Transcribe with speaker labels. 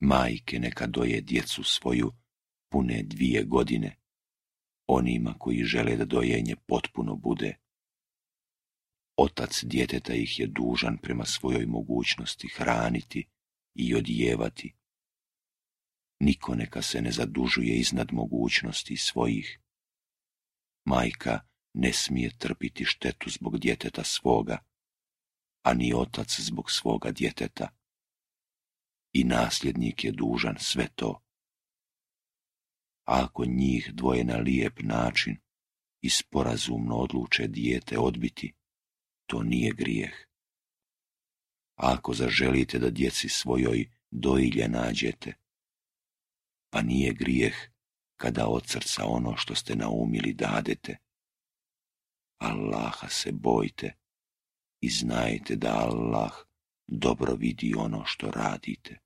Speaker 1: Majke neka doje djecu svoju pune 2 godine, onima koji žele da dojenje potpuno bude. Otac djeteta ih je dužan prema svojoj mogućnosti hraniti i odjevati. Niko neka se ne zadužuje iznad mogućnosti svojih. Majka ne smije trpiti štetu zbog djeteta svoga, a ni otac zbog svoga djeteta. I nasljednik je dužan sve to. A ako njih dvoje na lijep način i sporazumno odluče dijete odbiti, to nije grijeh. A ako zaželite da djeci svojoj dojilje nađete, pa nije grijeh kada od srca ono što ste naumili dadete. Allaha se bojte i znajte da Allah dobro vidi ono što radite.